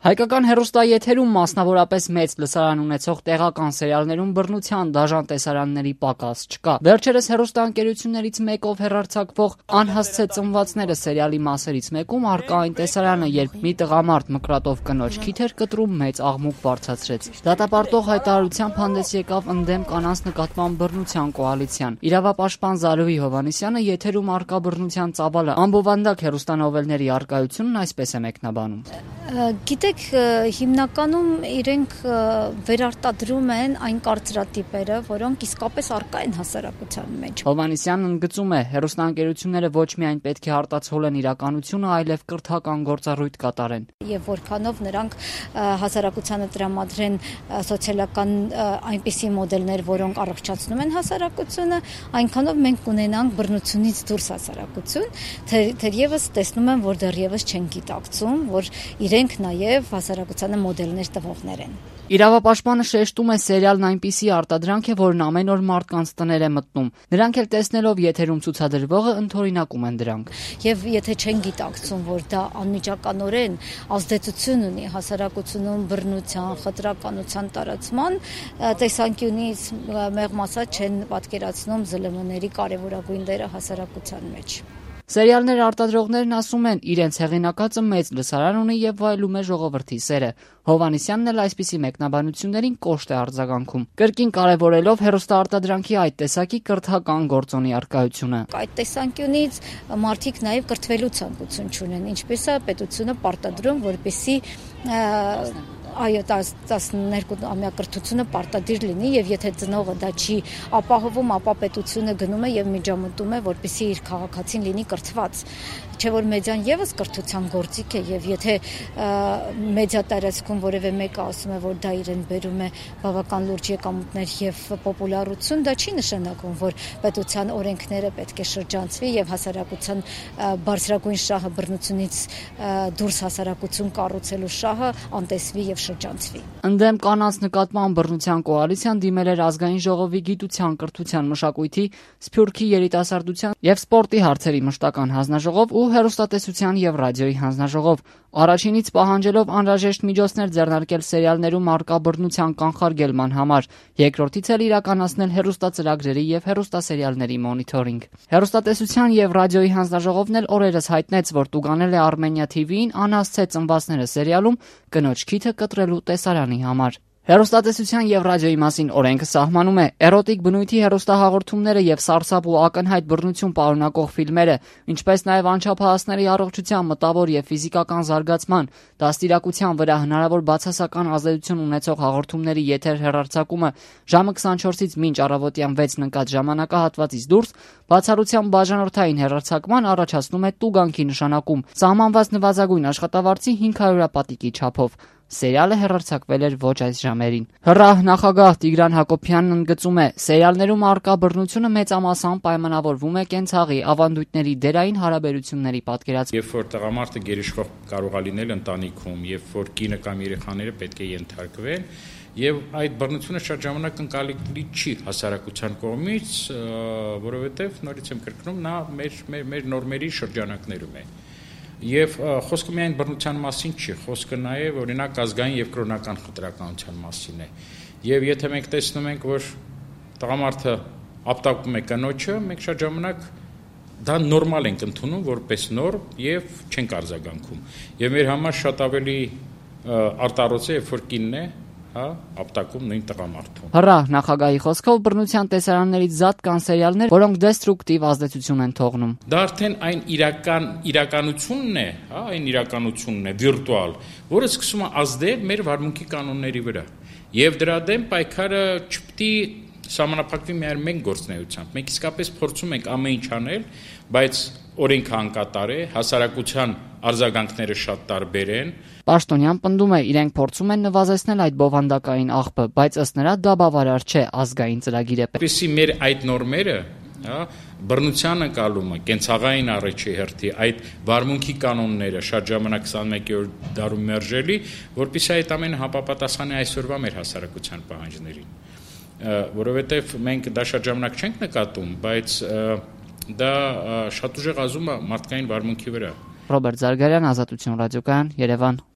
Հայկական հեռուստաեթերում մասնավորապես մեծ լսարան ունեցող տեղական սերիալներում բռնության դաժան տեսարանների պակաս չկա։ Վերջերս հեռուստաընկերություններից մեկով հեռարձակվող «Անհասցե ծնվածները» սերիալի մասերից մեկում առկա այն տեսարանը, երբ մի տղամարդ մկրատով կնոջ քիթ էր կտրում, մեծ աղմուկ բարձրացրեց։ Դատապարտող հայտարարությամբ հանդես եկավ ընդդեմ կանանց նկատմամբ բռնության կոալիցիան։ Իրավապաշտպան Զարուհի Հովհաննիսյանը եթերում առկա բռնության ծավալը անբովանդակ հեռուստանովելների առկայությունն այսպես է մեկնաբանում։ Գիտեք, հիմնականում իրենք վերարտադրում են այն կարծրատիպերը, որոնք իսկապես առկա են հասարակության մեջ։ Հովհաննիսյանն ընդգծում է, հեռուստաընկերությունները ոչ միայն պետք է արտացոլեն իրականությունը, այլև կրթական գործառույթ կատարեն։ Եվ որքանով նրանք հասարակությանը տրամադրեն սոցիալական այնպիսի մոդելներ, որոնք առողջացնում են հասարակությունը, այնքանով մենք կունենանք բռնությունից դուրս հասարակություն, թերևս տեսնում եմ, որ դեռևս չեն գիտակցում, որ իրենք նաև հասարակությանը մոդելներ տվողներ են։ Իրավապաշտպանը շեշտում է, սերիալն այնպիսի արտադրանք է, որն ամեն օր մարդկանց տներ է մտնում։ Նրանք էլ տեսնելով եթերում ցուցադրվողը ընդօրինակում են դրանք։ Եւ եթե չեն գիտակցում, որ դա անմիջականորեն ազդեցություն ունի հասարակությունում բռնության, խտրականության տարածման տեսանկյունից, մեղմ ասած չեն պատկերացնում ԶԼՄ-ների կարևորագույն դերը հասարակության մեջ։ Սերիալներ արտադրողներն ասում են, իրենց հեղինակածը մեծ լսարան ունի եւ վայելում է ժողովրդի սերը։ Հովհաննիսյանն էլ այսպիսի մեկնաբանություններին կոշտ է արձագանքում, կրկին կարևորելով հեռուստաարտադրանքի այդ տեսակի կրթական գործոնի առկայությունը։ Այդ տեսանկյունից մարդիկ նաեւ կրթվելու ցանկություն չունեն, ինչպես է պետությունը պարտադրում, որպեսզի այո 12-ամյա կրթությունը պարտադիր լինի եւ եթե ծնողը դա չի ապահովում, ապա պետությունը գնում է եւ միջամտում է, որպեսզի իր քաղաքացին լինի կրթված, չէ որ մեդիան եւս կրթության գործիք է եւ եթե մեդիա տարածքում որևէ մեկը ասում է, որ դա իրեն բերում է բավական լուրջ եկամուտներ եւ պոպուլարություն, դա չի նշանակում, որ պետության օրենքները պետք է շրջանցվի եւ հասարակության բարձրագույն շահը բռնությունից դուրս հասարակություն կառուցելու շահը անտեսվի եւ շրջանցվի։ Ընդդեմ կանանց նկատմամբ բռնության կոալիցիան դիմել էր ազգային ժողովի գիտության, կրթության, մշակույթի, սփյուռքի երիտասարդության եւ սպորտի հարցերի մշտական հանձնաժողով ու հեռուստատեսության եւ ռադիոյի հանձնաժողով, առաջինից պահանջելով անհրաժեշտ միջոցներ ձեռնարկել սերիալներում առկա բռնության կանխարգելման համար, երկրորդից էլ իրականացնել հեռուստածրագրերի եւ հեռուստասերիալների մոնիթորինգ։ Հեռուստատեսության եւ ռադիոյի հանձնաժողովն էլ օրերս հայտնեց, որ տուգանել է Armenia TV-ին «Անհասցե ծնվածները» սերիալում կնոջ քիթը կտրելու տեսարանի համար։ Հեռուստատեսության եւ ռադիոյի մասին օրենքը սահմանում է էրոտիկ բնույթի հեռուստահաղորդումները եւ սարսափ ու ակնհայտ բռնություն պարունակող ֆիլմերը, ինչպես նաեւ անչափահասների առողջության, մտավոր եւ ֆիզիկական զարգացման, դաստիարակության վրա հնարավոր բացասական ազդեցություն ունեցող հաղորդումների եթեր հեռարձակումը ժամը 24-ից մինչ առավոտյան 6-ն ընկած ժամանակահատվածից դուրս բացառությամբ բաժանորդային հեռարձակման առաջացնում է տուգանքի նշանակում, սահմանված նվազագույն աշխատավարձի 500 պատիկի չափով։ Սերիալը հեռարձակվել էր ոչ այս ժամերին։ ՀՌԱՀ նախագահ Տիգրան Հակոբյանն ընդգծում է, սերիալներում առկա բռնությունը մեծամասամբ պայմանավորվում է կենցաղի ավանդույթների դերային հարաբերությունների պատկերացմամբ։ Երբ որ տղամարդը գերիշխող կարող է լինել ընտանիքում, երբ որ կինը կամ երեխաները պետք է ենթարկվեն, եւ այդ բռնությունը շատ ժամանակ ընկալելի չի հասարակության կողմից, որովհետեւ նորից եմ կրկնում, նա մեր նորմերի շրջանակներում է։ Եվ խոսքը միայն բռնության մասին չի, խոսքը նաև օրինակ ազգային եւ կրոնական խտրականության մասին է։ Եվ եթե մենք տեսնում ենք, որ տղամարդը ապտակում է կնոջը, մենք շատ ժամանակ դա նորմալ ենք ընդունում որպես նորմ եւ չենք արձագանքում։ Եվ մեր համար շատ ավելի արտարոց է, երբ որ կինն է ապտակում նույն տղամարդուն։ ՀՌԱՀ նախագահի խոսքով բռնության տեսարաններից զատ կան սերիալներ, որոնք դեստրուկտիվ ազդեցություն են թողնում։ Դա արդեն այն իրականությունն է, այն իրականությունն է վիրտուալ, որը սկսում է ազդել մեր վարմունքի կանոնների վրա։ Եվ դրա դեմ պայքարը չպետք է սահմանափակվի միայն մեկ գործունեությամբ։ Մենք իսկապես փորձում ենք ամեն ինչ անել, բայց օրենքը անկատար է, հասարակության արձագանքները շատ տարբեր են։ Պաշտոնյան պնդում է, իրենք փորձում են նվազեցնել այդ բովանդակային աղբը, բայց ըստ նրա դա բավարար չէ, ազգային ծրագիր է պետք։ Որպեսզի մեր այդ նորմերը, բռնության ընկալումը, կենցաղային առաջի հերթի, այդ վարմունքի կանոնները շատ ժամանակ 21-րդ դարում մերժելի, որպեսզի այդ ամենը համապատասխանի այսօրվա մեր հասարակության պահանջներին։ Որովհետև մենք դա շատ ժամանակ չենք նկատում, բայց դա շատ ուժեղ ազում է մարդկային վարմունքի վրա։ Ռոբերտ Զարգարյան, Ազատություն ռադիոկայան, Երևան։